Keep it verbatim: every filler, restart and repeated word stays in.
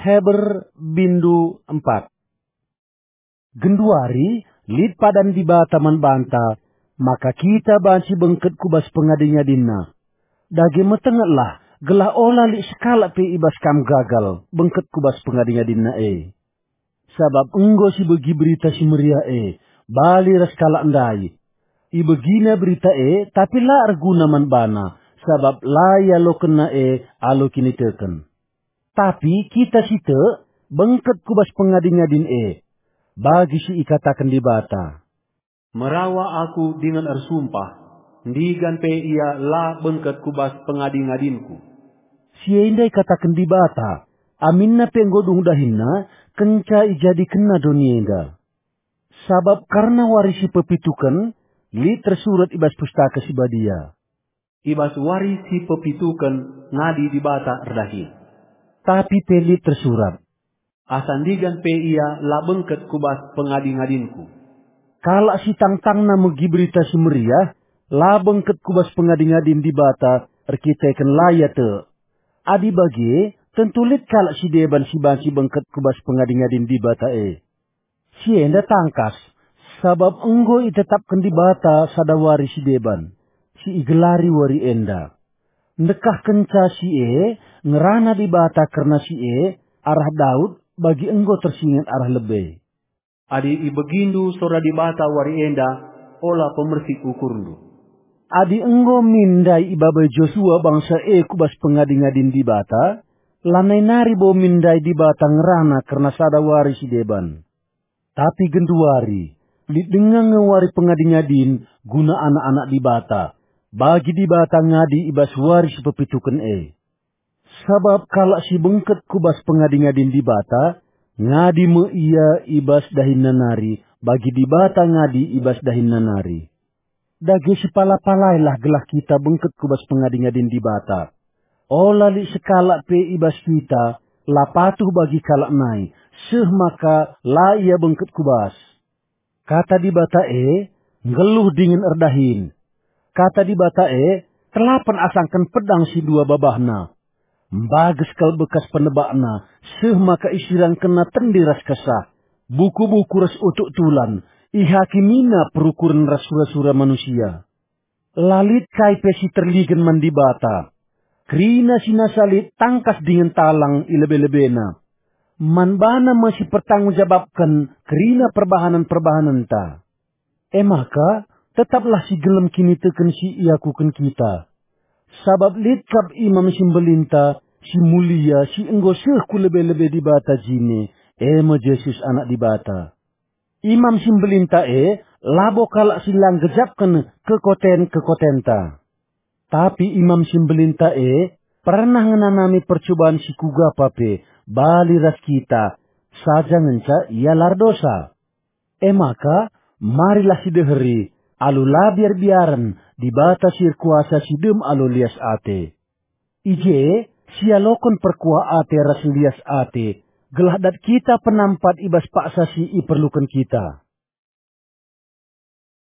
Heber bindu empat. Genduari lit padan Dibata man banta, maka kita banci bengket ku bas pengadi-ngadinNa. Dage metengetlah, gelah ola lit sekalak pe i bas kam gagal bengket ku bas pengadi-ngadinNa e. Sabap enggo sibegi Berita Si Meriah e bali ras kalak ndai. Ibegina berita e, tapi la erguna man bana, sabap la ialokenna e alu kiniteken. Tapi kita si tek bengket ku bas pengadi-ngadin e, bagi si ikataken Dibata, "Merawa aku dingen ersumpah, ndigan pe ia la bengket ku bas pengadi-ngadinku." Si enda ikataken Dibata, aminna pe enggo dung dahinna, kenca ijadikenna doni enda. Sabap kerna wari si pepituken, lit tersurat i bas Pustaka Si Badia, "I bas wari si pepituken ngadi Dibata erdahin." Tapi pe lit tersurat, "Asa ndigan pe ia la bengket ku bas pengadi-ngadinku." Kalak si tangtangna megi Berita Si Meriah, la bengket ku bas pengadi-ngadin Dibata erkiteken la ia tek. Adi bage, tentu lit kalak si deban si banci bengket ku bas pengadi-ngadin Dibata e. Si enda tangkas, sabap enggo itetapken Dibata sada wari si deban, si igelari wari enda. Ndekahkenca si e, ngerana Dibata kerna si e, arah Daud, bagi enggo tersinget arah lebe, "Adi ibegindu sora Dibata wari enda, ola pemersik ukurndu." Adi enggo min ndai ibabai Josua bangsa e ku bas pengadi-ngadin Dibata, lanai nari bo min ndai Dibata ngerana kerna sada wari si deban. Tapi genduari, lit denga nge wari pengadi-ngadin guna anak-anak Dibata, bagi Dibata ngadi i bas wari si pepituken e. Sabap kalak si bengket ku bas pengadi-ngadin Dibata, ngadi me ia i bas dahinna nari, bagi Dibata ngadi i bas dahinna nari. Dage sipala-palailah gelah kita bengket ku bas pengadi-ngadin Dibata. Ola lit sekalak pe i bas kita la patuh bagi kalak nai, seh maka la ia bengket ku bas. Kata Dibata e nggeluh dingen erdahin. Kata Dibata e telapen asangken pedang si dua babahna. Mbages kal bekas penebakna, seh maka isirangkenna tendi ras kesah, buku-buku ras utuk tulan, ihakimina perukuren ras sura-sura manusia. La lit kai pe si terligen man Dibata. Kerina si nasa lit tangkas dingen talang i lebe-lebena. Man baNa me si pertanggung jabapken kerina perbahanen-perbahanenta. E maka, tetaplah si gelem kiniteken si iakuken kita. Sabap lit kap Imam si Mbelinta, si mulia, si enggo seh ku lebe-lebe Dibata jine, e me Jesus Anak Dibata. Imam si Mbelinta e labo kalak si la nggejapken kekoten-kekotenta. Tapi Imam si Mbelinta e pernah ngenanami percuban si kuga pa pe bali ras kita, saja ngenca ia la erdosa. E maka, marilah sideheri, alu la biar-biaren, Dibata si erkuasa si dem alu lias ate. I je, sialoken perkuah ate ras lias ate, gelah dat kita penampat i bas paksa si iperluken kita.